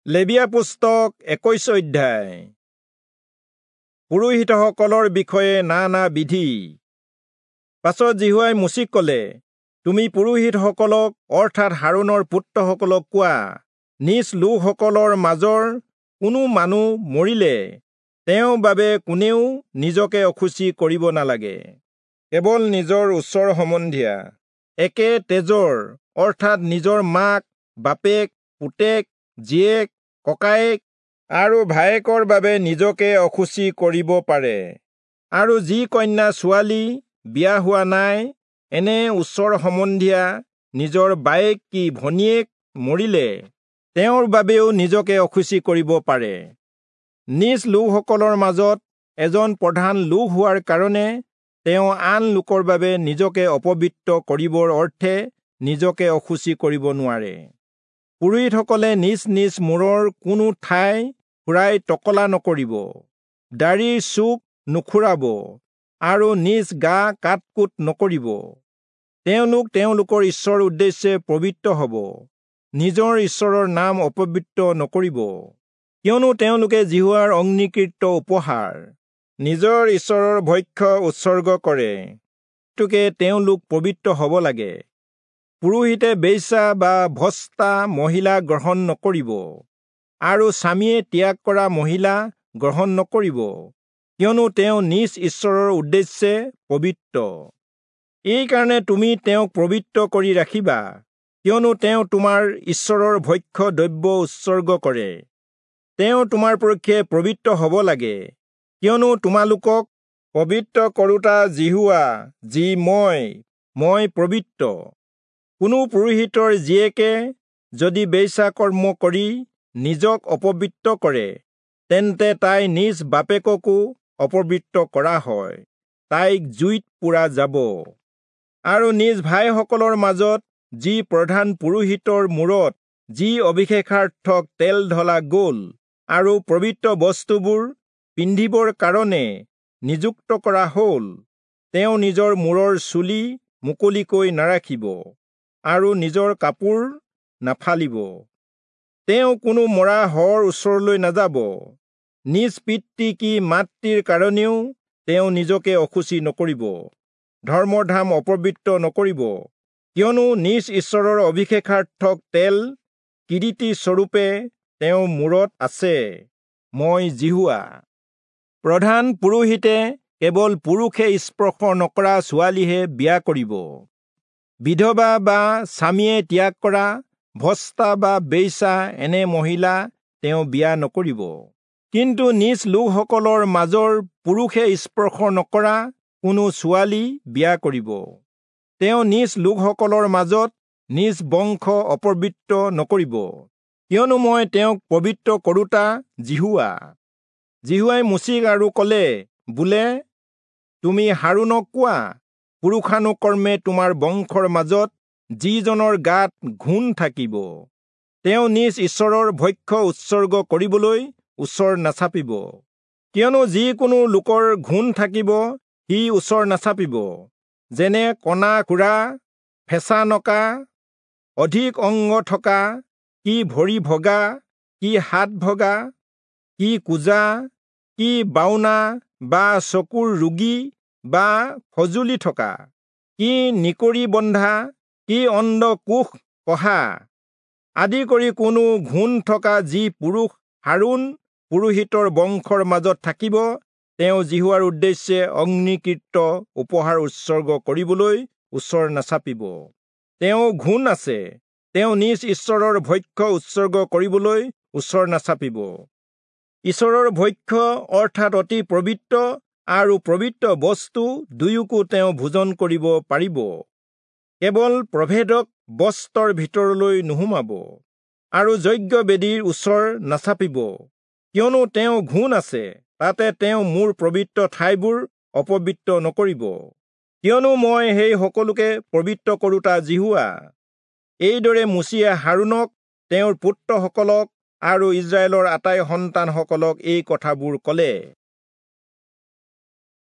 লেবীয়া পুস্তক 21 অধ্যায়। পুৰোহিতসকলৰ বিষয়ে নানা বিধি। পাছত যিহোৱাই মোচিক ক'লে, তুমি পুৰোহিতসকলক অৰ্থাৎ হাৰোণৰ পুত্ৰসকলক কোৱা, নিজ লোকসকলৰ মাজৰ কোনো মানুহ মৰিলে তেওঁৰ বাবে কোনেও নিজকে অশুচি কৰিব নালাগে। কেৱল নিজৰ ওচৰ সম্বন্ধীয়া একে তেজৰ অৰ্থাৎ নিজৰ মাক, বাপেক, পুতেক, জীয়েক, ককায়েক আৰু ভায়েকৰ বাবে নিজকে অশুচি কৰিব পাৰে। আৰু যি কন্যা ছোৱালী বিয়া হোৱা নাই, এনে ওচৰ সম্বন্ধীয়া নিজৰ বায়েক কি ভনীয়েক মৰিলে তেওঁৰ বাবেও নিজকে অশুচি কৰিব পাৰে। নিজ লোকসকলৰ মাজত এজন প্ৰধান লোক হোৱাৰ কাৰণে তেওঁ আন লোকৰ বাবে নিজকে অপবিত্ৰ কৰিবৰ অৰ্থে নিজকে অশুচি কৰিব নোৱাৰে। পুৰোহিতসকলে নিজ নিজ মূৰৰ কোনো ঠাই খুৰাই টকলা নকৰিব, দাড়িৰ চুক নুখুৰাব আৰু নিজ গা কাটকুট নকৰিব। তেওঁলোক তেওঁলোকৰ ঈশ্বৰৰ উদ্দেশ্যে পবিত্ৰ হ'ব, নিজৰ ঈশ্বৰৰ নাম অপবিত্ৰ নকৰিব, কিয়নো তেওঁলোকে যিহোৱাৰ অগ্নিকৃত উপহাৰ নিজৰ ঈশ্বৰৰ ভক্ষ্য উৎসৰ্গ কৰে, গতিকে তেওঁলোক পবিত্ৰ হ'ব লাগে। পুৰোহিতে বেশ্যা বা ভ্ৰষ্টা মহিলা গ্ৰহণ নকৰিব আৰু স্বামীয়ে ত্যাগ কৰা মহিলা গ্ৰহণ নকৰিব, কিয়নো তেওঁ নিজ ঈশ্বৰৰ উদ্দেশ্যে পবিত্ৰ। এইকাৰণে তুমি তেওঁক পবিত্ৰ কৰি ৰাখিবা, কিয়নো তেওঁ তোমাৰ ঈশ্বৰৰ ভক্ষ্য দ্ৰব্য উৎসৰ্গ কৰে। তেওঁ তোমাৰ পক্ষে পবিত্ৰ হ'ব লাগে, কিয়নো তোমালোকক পবিত্ৰ কৰোঁতা যিহোৱা যি মই পবিত্ৰ। কোনো পুৰোহিতৰ জীয়েকে যদি বেশ্যা কৰ্ম কৰি নিজক অপবিত্ৰ কৰে, তেন্তে তাই নিজ বাপেককো অপবিত্ৰ কৰা হয়, তাইক জুইত পোৰা যাব। আৰু নিজ ভাইসকলৰ মাজত যি প্ৰধান পুৰোহিতৰ মূৰত যি অভিষেকাৰ্থক তেল ঢলা গ'ল আৰু পবিত্ৰ বস্তুবোৰ পিন্ধিবৰ কাৰণে নিযুক্ত কৰা হ'ল, তেওঁ নিজৰ মূৰৰ চুলি মুকলিকৈ নাৰাখিব আৰু নিজৰ কাপোৰ নাফালিব। তেওঁ কোনো মৰা শৱৰ ওচৰলৈ নাযাব। নিজ পিতৃ কি মাতৃৰ কাৰণেও তেওঁ নিজকে অশুচি নকৰিব, ধৰ্মধাম অপবিত্ৰ নকৰিব, কিয়নো নিজ ঈশ্বৰৰ অভিষেকাৰ্থক তেল কিৰীটি স্বৰূপে তেওঁৰ মূৰত আছে। মই যিহোৱা। প্ৰধান পুৰোহিতে কেৱল পুৰুষে স্পৰ্শ নকৰা ছোৱালীহে বিয়া কৰিব। বিধৱা বা স্বামীয়ে ত্যাগ কৰা ভ্ৰষ্টা বা বেশ্যা এনে মহিলা তেওঁ বিয়া নকৰিব। কিন্তু নিজ লোকসকলৰ মাজৰ পুৰুষে স্পৰ্শ নকৰা কোনো ছোৱালী বিয়া কৰিব। তেওঁ নিজ লোকসকলৰ মাজত নিজ বংশ অপবিত্ৰ নকৰিব, কিয়নো মই তেওঁক পবিত্ৰ কৰোঁতা যিহোৱা। যিহোৱাই মোচিক আৰু ক'লে, বোলে, তুমি হাৰোণক কোৱা, পুৰুষানুকৰ্মে তোমাৰ বংশৰ মাজত যিজনৰ গাত ঘূণ থাকিব, তেওঁ নিজ ঈশ্বৰৰ ভক্ষ্য উৎসৰ্গ কৰিবলৈ ওচৰ নাচাপিব, কিয়নো যিকোনো লোকৰ ঘূণ থাকিব সি ওচৰ নাচাপিব, যেনে কণা খুৰা, ফেঁচা নকা, অধিক অংগ থকা, কি ভৰি ভগা, কি হাত ভগা, কি কুঁজা, কি বাওনা বা চকুৰ ৰোগী বা খজুলি থকা, কি নিকৰি বন্ধা, কি অণ্ডকোষ কহা আদি কৰি কোনো ঘূণ থকা যি পুৰুষ হাৰোণ পুৰোহিতৰ বংশৰ মাজত থাকিব, তেওঁ যিহোৱাৰ উদ্দেশ্যে অগ্নিকৃত উপহাৰ উৎসৰ্গ কৰিবলৈ ওচৰ নাচাপিব। তেওঁ ঘূণ আছে, তেওঁ নিজ ঈশ্বৰৰ ভক্ষ্য উৎসৰ্গ কৰিবলৈ ওচৰ নাচাপিব। ঈশ্বৰৰ ভক্ষ্য অৰ্থাৎ অতি পবিত্ৰ আৰু পবিত্ৰ বস্তু দুয়োকো তেওঁ ভোজন কৰিব পাৰিব, কেৱল প্ৰভেদক বস্ত্ৰৰ ভিতৰলৈ নোসোমাব আৰু যজ্ঞ বেদীৰ ওচৰ নাচাপিব, কিয়নো তেওঁ ঘূণ আছে, তাতে তেওঁ মোৰ পবিত্ৰ ঠাইবোৰ অপবিত্ৰ নকৰিব, কিয়নো মই সেই সকলোকে পবিত্ৰ কৰোঁতা যিহোৱা। এইদৰে মোচিয়ে হাৰোণক, তেওঁৰ পুত্ৰসকলক আৰু ইস্ৰায়েলৰ আটাই সন্তানসকলক এই কথাবোৰ ক'লে।